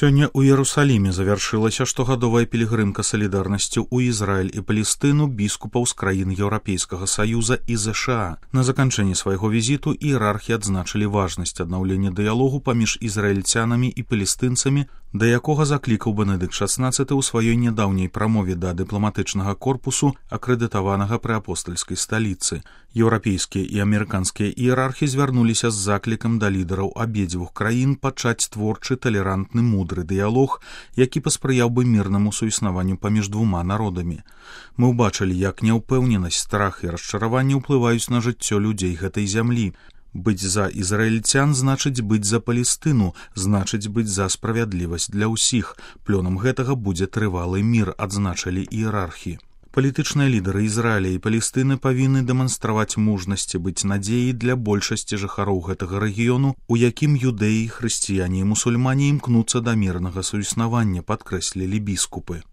Сёння ў Иерусалиме завяршылася штогадовая пілігрымка салідарнасці ў Ізраіль і Палестыну біскупаў з краін Еўрапейскага Саюза і ЗША. На заканчэнні свайго візіту іерархі адзначылі важнасць аднаўлення дыялогу паміж ізраільцянамі і палестынцамі, да якога заклікаў Бенедыкт XVI ў сваёй нядаўняй прамове да дыпламатычнага корпусу, акрэдытаванага пры апостальскай сталіцы. Еўрапейскія і амерыканскія іерархі звярнуліся з заклікам да лідараў абедзвюх краін пачаць творчы, талерантны, мудры дыялог, які паспрыяў бы мірнаму суіснаванню паміж двума народамі. Мы ўбачылі, як няўпэўненасць, страх і расчараванне ўплываюць на жыццё людзей гэтай зямлі. Быць за ізраільцян значыць быць за Палестыну, значыць быць за справядлівасць для ўсіх. Плёнам гэтага будзе трывалы мір, адзначылі іерархі. Палітычныя лідары Ізраіля і Палестыны павінны дэманстраваць мужнасці, быць надзеяй для большасці жыхароў гэтага рэгіёну, у якім юдэі, хрысціяне і мусульмане імкнуцца да мірнага суіснавання, падкрэслілі біскупы.